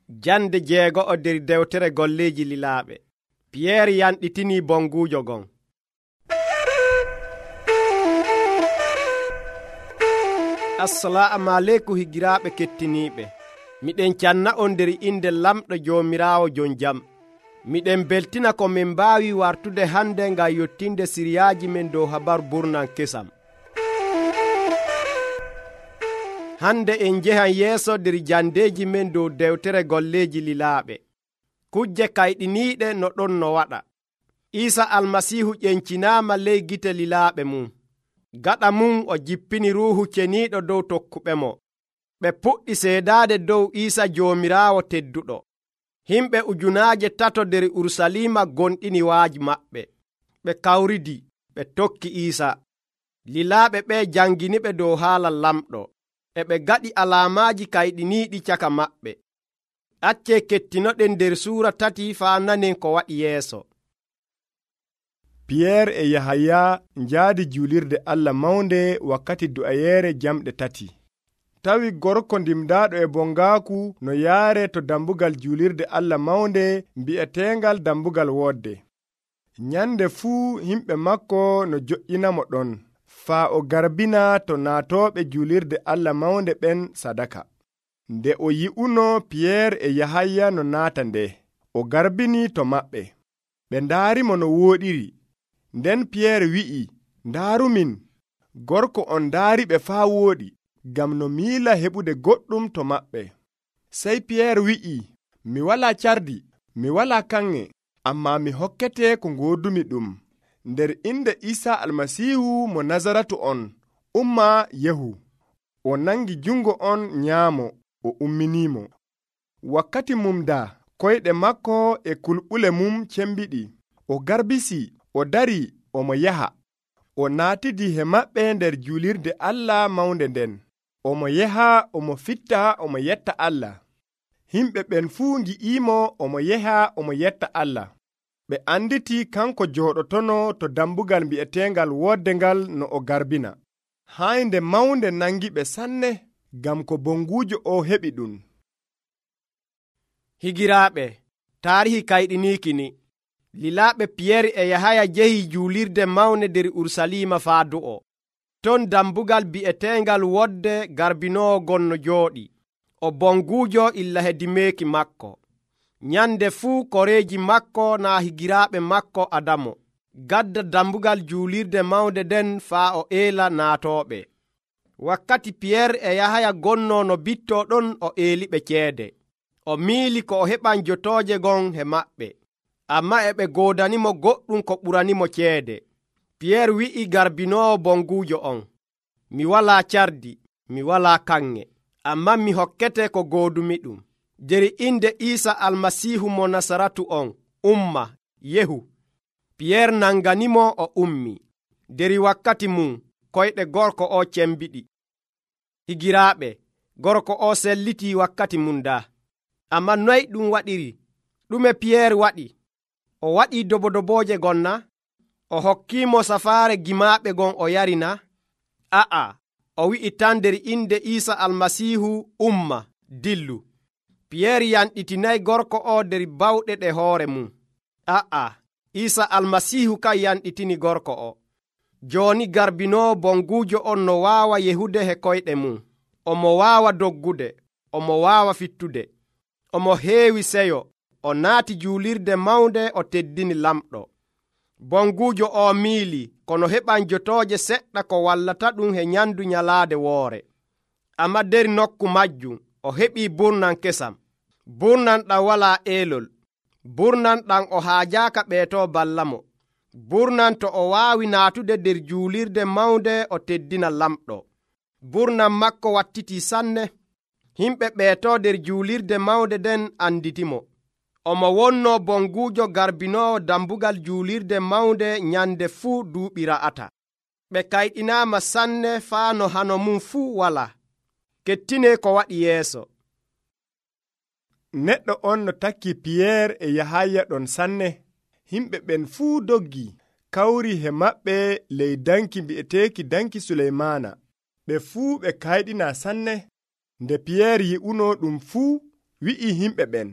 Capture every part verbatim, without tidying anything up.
Jande jeego'o nder dewtere golleeji lilaaɓe. Piyeer yanɗitinii bonguujo gon. Assalaamu aleykum higiraaɓe kettiniiɓe. Miɗen canna on nder inde lamɗo Joomiraawo jon jam. Miɗen beltina ko min mbaawi wartude hande ngam yottinde siriyaaji men dow habaru burnan kesam. Hande en njehan yeeso nder jandeeji men dow dewtere golleeji lilaaɓe. Kujje kayɗiniiɗe no ɗon no waɗa. Iisa almasiihu ƴencinaama ley gite lilaaɓe mum. Gaɗa mum o jippini ruuhu ceniiɗo dow tokkuɓemo. Ɓe puɗɗi seedaade dow Iisa Joomiraawo tedduɗo. Himɓe ujunaaje tato nder Urusalima gonɗini waaji maɓɓe. Ɓe kawridi, ɓe tokki Iisa. Lilaaɓe ɓe janginiɓe dow haala lamɗo. E ɓe gaɗi alaamaaji kayɗiniiɗi caka maɓɓe. Accee kettinoɗen nder suura tati faa nanen ko waɗi yeeso. Piyeer e Yahaya njaadi juulirde Allah mawnde wakkati du'ayeere jamɗe tati. Tawi gorko ndimdaaɗo e bongaaku no yaare to dambugal juulirde Allah mawnde mbi'eteengal dambugal woodde. Nyande fuu himɓe makko no joƴƴinamo ɗon, faa o garbina to naatooɓe juulirde Allah mawnde ɓen sadaka. Nde o yi'uno Piyeer e Yahaya no naata nde, o garbini to maɓɓe. Ɓe ndaarimo no wooɗiri. Nden Piyeer wi'i, ndaarumin, gorko on ndaariɓe faa wooɗi, ngam no miila heɓude goɗɗum to maɓɓe. Sey Piyeer wi'i, mi walaa cardi, mi walaa kanŋe, ammaa mi hokkete ko ngoodumi ɗum. Nder inde Iisa almasiihu mo Nazaratu on, umma yehu. O nangi jungo on nyaamo, o umminiimo. Wakkati mum daa, koyɗe makko e kulɓule mum cembiɗi. O garbisi, o dari, omo yaha. O naatidi he maɓɓe nder juulirde Allah mawnde nden. Omo yaha, omo fitta, omo yetta Allah. Himɓe ɓen fuu ngi'iimo omo yaha, omo yetta Allah. Ɓe anditi kanko jooɗotono to dambugal mbi'eteengal wooddengal no o garbina. Haynde mawnde nangi ɓe sanne, ngam ko bonguujo o heɓi ɗum. Higiraaɓe, taarihi kayɗiniiki ni. Lilaaɓe Piyeer e Yahaya jehi juulirde mawnde nder Urusalima faa du'o. Ton dambugal bi'eteengal wodde garbinoowo gon no jooɗi. O bonguujo illa hedimeeki makko. Nyande fuu koreeji makko naa higiraaɓe makko adamo. Gadda dambugal juulirde mawnde den faa o eela naatooɓe. Wakkati Piyeer e Yahaya gonnoo no bittoo ɗon o eeliɓe ceede. O miili ko o heɓan jotooje gon he maɓɓe. Ammaa e ɓe goodanimo goɗɗum ko ɓuranimo ceede. Piyeer wi'i garbinoowo bonguujo on, mi walaa cardi, mi walaa kanŋe, ammaa mi hokkete ko goodumi ɗum. Nder inde Iisa almasiihu mo Nasaratu on, umma yehu. Piyeer nanganimo o ummi. Nder wakkati mum koyɗe gorko o cembiɗi. Higiraaɓe, gorko o sellitii wakkati mum daa. Ammaa noy ɗum waɗiri? Ɗume Piyeer waɗi? O waɗii dobodobooje gonna? O hokkiimo safaare gimaaɓe gon o yarina? A'a, o wi'i tan nder inde Iisa almasiihu umma dillu. Piyeer yanɗitinayi gorko o nder bawɗe ɗe hoore mum. A'a, Iisa almasiihu kan yanɗitini gorko o. Jooni garbinoowo bonguujo on no waawa yehude he koyɗe mum. Omo waawa doggude, omo waawa fittude. Omo heewi seyo, o naati juulirde mawnde o teddini lamɗo. Bonguujo o miili kono heɓan jotooje seɗɗa ko wallata ɗum he nyandu nyalaade woore. Amma nder nokku majjum o heɓii burnan kesam. Burnan ɗam walaa eelol. Burnan ɗam o haajaaka ɓeetoo ballamo. Burnan to o waawi naatude nder juulirde mawnde o teddina lamɗo. Burnan makko wattitii sanne. Himɓe ɓeetoo nder juulirde mawnde den anditimo. Omo wonnoo bonguujo garbinoowo dambugal juulirde mawnde nyande fuu duuɓi ra'ata. Ɓe kayɗinaama sanne faa no hano mum fuu walaa. Kettinee ko waɗi yeeso. Neɗɗo on no takki Piyeer e Yahaya ɗon sanne. Himɓe ɓen fuu doggi, kawri he maɓɓe ley danki mbi'eteeki danki Suleymaana. Ɓe fuu ɓe kayɗina sanne. Nde Piyeer yi'uno ɗum fuu, wi'i himɓe ɓen,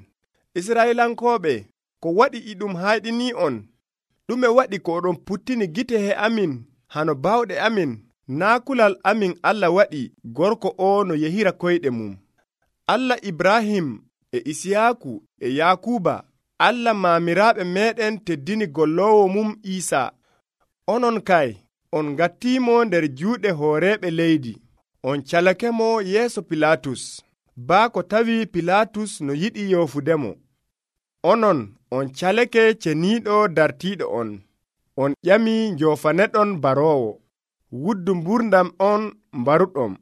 Israilankooɓe, ko waɗi e ɗum hayɗini on? ɗume waɗi ko oɗon puttini gite he amin hano bawɗe amin? Naa kulal amin Allah waɗi gorko o no yehira koyɗe mum. Allah Ibrahim e Isiyaaku e Yakuba, Allah maamiraaɓe meeɗen teddini golloowo mum Iisaa. Onon kay, on ngattiimo nder juuɗe hooreeɓe leydi. On calakemo yeeso Pilaatus, baa ko tawi Pilaatus no yiɗi yoofudemo. Onon, on calake ceniiɗo dartiiɗo on. On ƴami njoofaneɗon baroowo. Wuddu mburdam on mbaruɗom.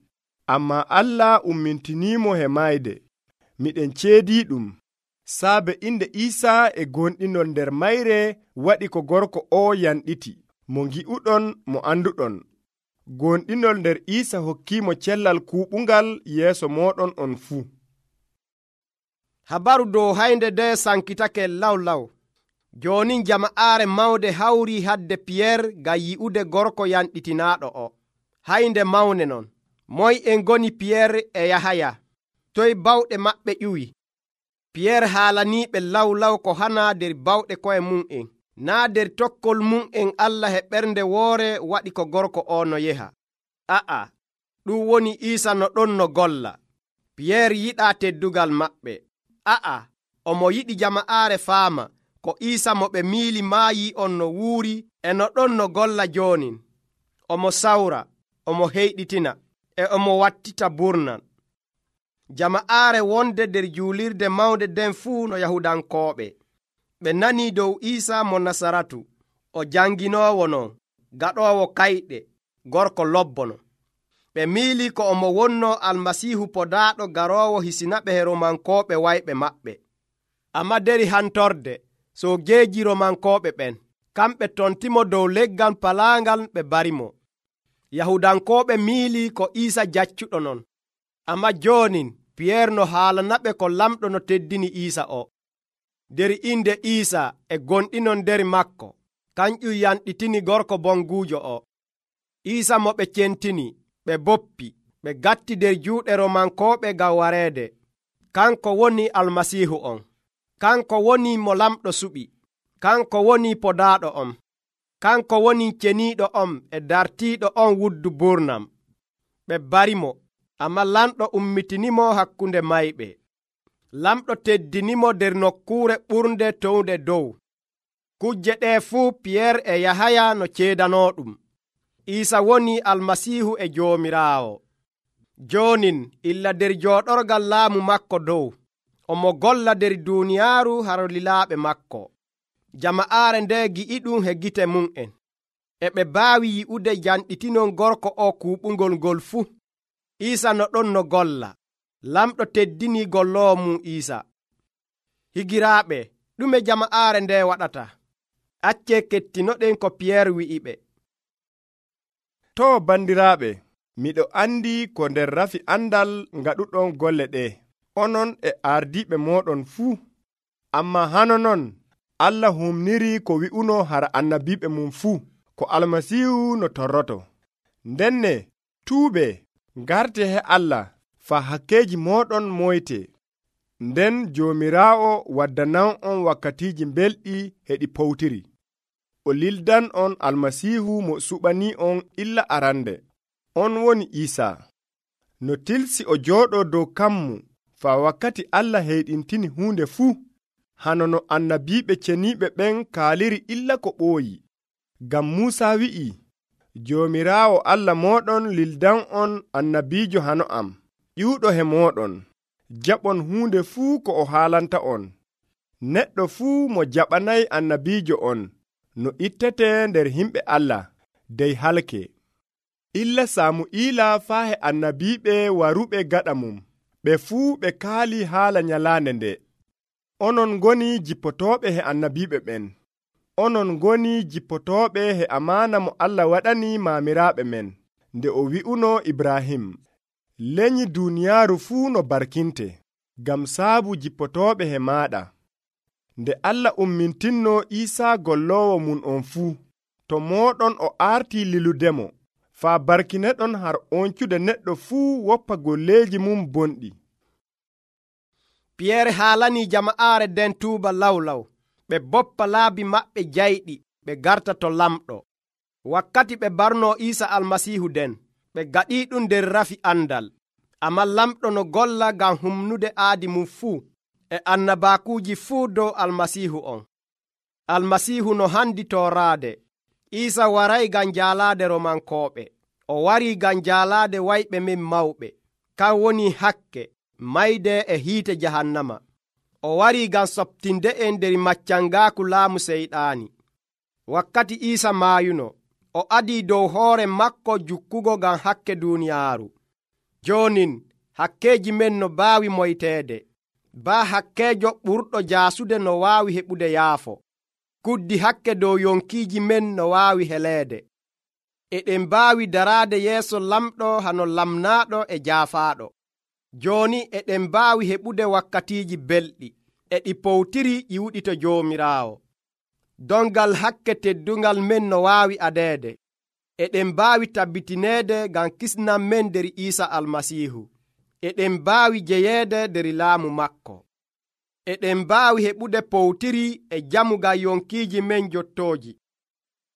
Ammaa Allah ummintiniimo he mayde. Miɗen ceedii ɗum. Saabe inde Iisaa e gonɗinol nder mayre waɗi ko gorko o yanɗiti, mo ngi'uɗon mo anduɗon. Gonɗinol nder Iisa hokkiimo cellal kuuɓungal yeeso mooɗon on fuu. Habaru dow haynde nde sankitake law law. Joni jama'aare mawde hawri hadde Piyeer ngam yi'ude gorko yanɗitinaaɗo o. Haynde mawne non. Moy en goni Piyeer e Yahaya? Toy bawɗe maɓɓe ƴuwi? Piyeer haalaniiɓe law law ko hana nder bawɗe koye mum en. Naa nder tokkol mum en Allah he ɓernde woore waɗi ko gorko o no yeha. A'a, ɗum woni Iisa no ɗon no golla. Piyeer yiɗaa teddugal maɓɓe. A'a, omo yiɗi jama'aare faama ko Iisa mo ɓe miili maayi on no wuuri e no ɗon no golla joonin. Omo sawra, omo heyɗitina, e omo wattita burnan. Jama'aare wonde nder juulirde mawnde nden fuu no Yahudankooɓe. Ɓe nanii dow Iisa mo Nasaratu, o janginoowo non, gaɗoowo kayɗe, gorko lobbono. Ɓe miili ko omo wonno Almasiihu podaaɗo garoowo hisinaɓe he Romankooɓe wayɓe maɓɓe. Amma deri hantorde, soojeeji Romankooɓe ɓen, kamɓe tontimo dow leggal palaangal ɓe barimo. Yahudankooɓe miili ko Iisa jaccuɗo non. Amma joonin Piyeer no haalanaɓe ko lamɗo no teddini Iisa o. Der inde Iisa e gonɗinon nder makko, kanƴum yanɗitini gorko bonguujo o. Iisa mo ɓe centini, ɓe boppi, ɓe gatti der juuɗe Romankooɓe ngam wareede. Kanko woni Almasiihu on. Kanko woni mo lamɗo suɓi. Kanko woni podaaɗo on. Kanko woni ceniiɗo on e dartiiɗo on wuddu burnam. Ɓe barimo, amma lamɗo ummitinimo hakkunde mayɓe. Lamɗo teddinimo nder nokkuure ɓurnde townde dow. Kujje ɗe fuu Piyeer e Yahaya no ceedanooɗum. Iisa woni Almasiihu e Joomiraawo. Joonin illa nder jooɗorgal laamu makko dow, omo golla nder duuniyaaru haro lilaaɓe makko. Jama'aare nde gi'iɗum he gite mum'en, e ɓe baawi yi'ude janɗitinon gorko o kuuɓungol ngol fuu. Iisa no ɗon no golla. Lamɗo teddini golloowo mum Iisa. Higiraaɓe, ɗume jama'aare nde waɗata? Accee kettinoɗen ko Piyeer wi'iɓe. To bandiraaɓe, miɗo andi ko nder rafi andal ngaɗuɗon golle ɗe, onon e ardiiɓe mooɗon fuu. Amma hano non, Allah humniri ko wi'uno hara annabiiɓe mum fuu, ko Almasiihu no torroto. Ndenne, tuuɓe, ngarte he Allah, faa hakkeeji mooɗon moyte. Nden Joomiraawo waddanan on wakkatiiji belɗi he ɗi powtiri. O lildan on Almasiihu mo suɓanii on illa arande. On woni Iisaa. No tilsi o jooɗoo dow kammu, faa wakkati Allah heyɗintini huunde fuu. Hano no annabiiɓe ceniiɓe ɓen kaaliri illa ko ɓooyi. Ngam Muusaa wi'i, Joomiraawo Allah mooɗon lildan on annabiijo hano am, ƴiwɗo he mooɗon. Jaɓon huunde fuu ko o haalanta on. Neɗɗo fuu mo jaɓanayi annabiijo on, no ittete nder himɓe Allah, dey halke. Illa Saamu'iila faa he annabiiɓe waruɓe gaɗa mum, ɓe fuu ɓe kaali haala nyalaande nde. Onon ngoni jippotooɓe he annabiiɓe ɓen. Onon ngoni jippotooɓe he amaana mo Allah waɗani maamiraaɓe men, nde o wi'uno Ibrahim, lenyi duuniyaaru fuu no barkinte, ngam saabu jippotooɓe he maaɗa. Nde Allah ummintinno Iisaa golloowo mum on fuu, to mooɗon o aartii liludemo, faa barkineɗon har oncude neɗɗo fuu woppa golleeji mum bonɗi. Piyere haalanii jama'aare nden tuuba lawlaw, ɓe boppa laabi maɓɓe jayɗi ɓe garta to lamɗo. Wakkati ɓe barnoo Iisa Almasiihu den, ɓe gaɗii ɗum nder rafi andal. Ammaa lamɗo no golla ngam humnude aadi mum fuu e annabaakuuji fuu dow Almasiihu on. Almasiihu no handi tooraade. Iisa waray ngam jaalaade Romankooɓe. O warii ngam jaalaade wayɓe men mawɓe, kan woni hakke, mayde e hiite jahannama. O warii ngam soɓtinde en nder maccangaaku laamu seyɗaani. Wakkati Iisa maayuno, o adii dow hoore makko jukkugo ngam hakke duuniyaaru. Joonin hakkeeji men no baawi moyteede, baa hakkeejo ɓurɗo jaasude no waawi heɓude yaafo. Kuddi hakke dow yonkiiji men no waawi heleede. Eɗen mbaawi daraade yeeso lamɗo hano lamnaaɗo e jaafaaɗo. Jooni eɗen mbaawi heɓude wakkatiiji belɗi, e ɗi powtiri ƴiwɗi to Joomiraawo. Dongal hakke teddungal men no waawi adeede. Eɗen mbaawi tabbitineede ngam kisnam men nder Iisa Almasiihu. Eɗen mbaawi jeyeede nder laamu makko. Eɗen mbaawi heɓude powtiri e jamu ngam yonkiiji men jottooji.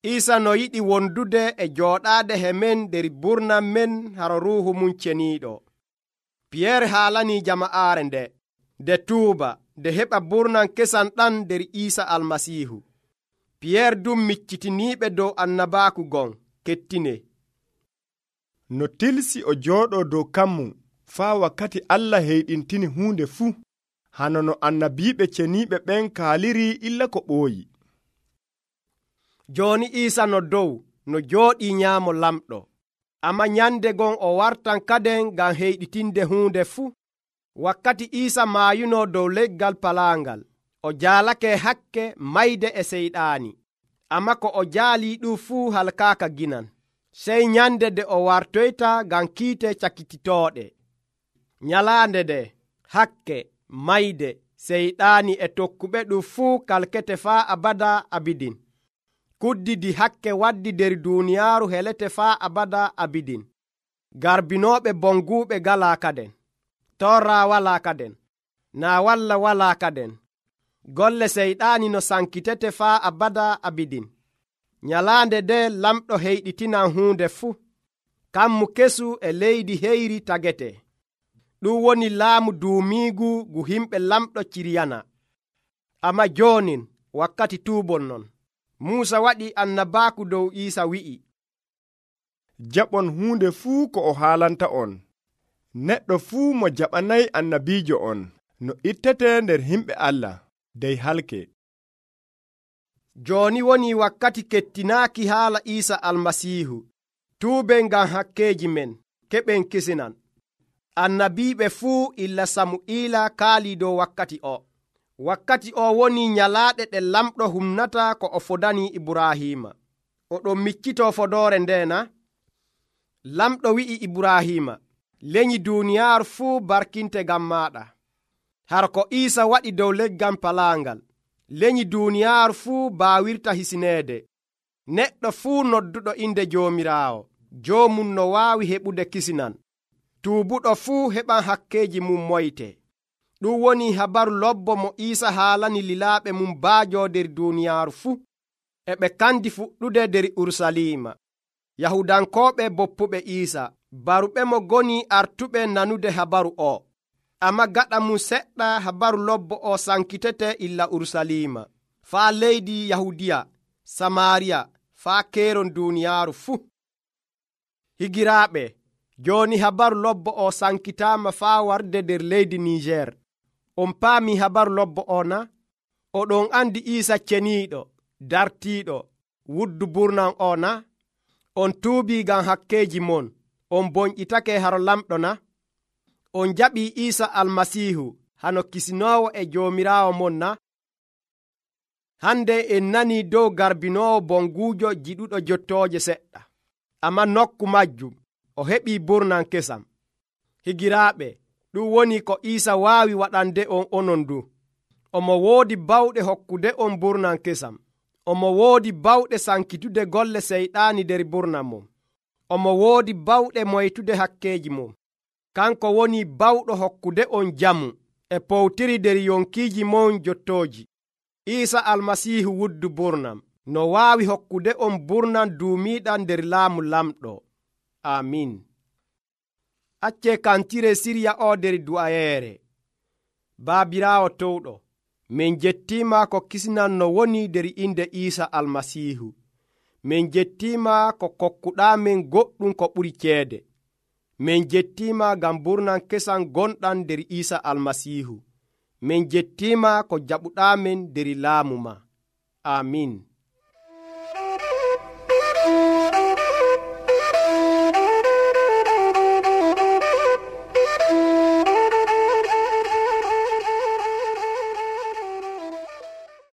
Iisa no yiɗi wondude e jooɗaade he men nder burnam men haro Ruuhu mum ceniiɗo. Piyere haalanii jama'aare nde, nde tuuba, nde heɓa burnam kesam ɗam nder Iisa Almasiihu. Piyere dum miccitiniiɓe dow annabaaku gon, kettine. No tilsi o jooɗoo dow kammum faa wakkati Allah heyɗintini huunde fuu, hano no annabiiɓe ceniiɓe ɓen kaaliri illa ko ɓooyi. Jooni Iisa no dow no jooɗii nyaamo lamɗo, ammaa nyande gon o wartan kaden ngam heyɗitinde huunde fuu. Wakkati Iisa maayunoo dow leggal palaangal, o jaalake hakke, mayde e seyɗaani, ammaa ko o jaalii ɗum fuu halkaaka ginan. Sey nyande nde o wartoyta ngam kiite cakititooɗe. Nyalaande nde, hakke, mayde, seyɗaani e tokkuɓe ɗum fuu kalkete faa abada abidin. Kuddidi hakke waddi nder duuniyaaru helete faa abada abidin. Garbinooɓe bonguuɓe galaa kaden. Torra walaa kaden. Naa walla walaa kaden. Golle seyɗaani no sankitete faa abada abidin. Nyalaande nde lamɗo heyɗitinan huunde fuu. Kammu kesu e leydi heyri tagete. Ɗum woni laamu duumiigu ngu himɓe lamɗo ciriyana. Ammaa joonin wakkati tuubol non. Muusa waɗi annabaaku dow Iisa wi'i, jaɓon huunde fuu ko o haalanta on. Neɗɗo fuu mo jaɓanayi annabiijo on no ittete nder himɓe Allah, dey halke. Jooni woni wakkati kettinaaki haala Iisa Almasiihu. Tuuben ngam hakkeeji men, keɓen kisinan. Annabiiɓe fuu illa Samu'iila kaalii dow wakkati o. Wakkati o woni nyalaaɗe ɗe lamɗo humnata ko o fodanii Ibrahiima. Oɗon miccitoo fodoore ndeena. Lamɗo wi'i Ibrahiima, leñi duuniyaaru fuu barkinte ngam maaɗa. Har ko Iisa waɗi dow leggal palaangal, leñi duuniyaaru fuu baawirta hisineede. Neɗɗo fuu nodduɗo inde Joomiraawo, joomum no waawi heɓude kisinan. Tuubuɗo fuu heɓan hakkeeji mum moyte. Ɗum woni habaru lobbo mo Iisa haalani lilaaɓe mum baajoo nder duuniyaaru fuu. E ɓe kandi fuɗɗude nder Urusalima. Yahudankooɓe boppuɓe Iisa, baruɓe mo goni artuɓe nanude habaru o. Ammaa gaɗa mum seɗɗa habaru lobbo o sankitete illa Urusalima, faa leydi Yahudiya, Samaariya, faa keeron duuniyaaru fuu. Higiraaɓe, jooni habaru lobbo o sankitaama faa warde nder leydi Niijer. On paami habaru lobbo o na? Oɗon andi Iisa ceniiɗo, dartiiɗo, wuddu burnam o na? On tuubii ngam hakkeeji mon, on bonƴitake haro lamɗo na? On jaɓii Iisa Almasiihu hano kisinoowo e Joomiraawo mon na? Hande en nanii dow garbinoowo bonguujo jiɗuɗo jottooje seɗɗa, ammaa nokku majjum o heɓii burnam kesam. Higiraaɓe, ɗum woni ko Iisa waawi waɗande on onon du. Omo woodi bawɗe hokkude on burnam kesam. Omo woodi bawɗe sankitude golle seyɗaani nder burnam mum. Omo woodi bawɗe moytude hakkeeji mum. Kanko woni bawɗo hokkude on jamu e powtiri nder yonkiiji mon jottooji. Iisa almasiihu wuddu burnam no waawi hokkude on burnam duumiiɗam nder laamu lamɗo. Amin. Accee kantire sirya o nder du'ayeere. Baabiraawo towɗo, min jettiima ko kisnan no woni nder inde Iisa almasiihu. Min jettiima ko kokkuɗaamin goɗɗum ko ɓuri ceede. Min jettiima ngam burnam kesam gonɗam nder Iisa almasiihu. Min jettiima ko jaɓuɗaamin nder laamu ma. Amin.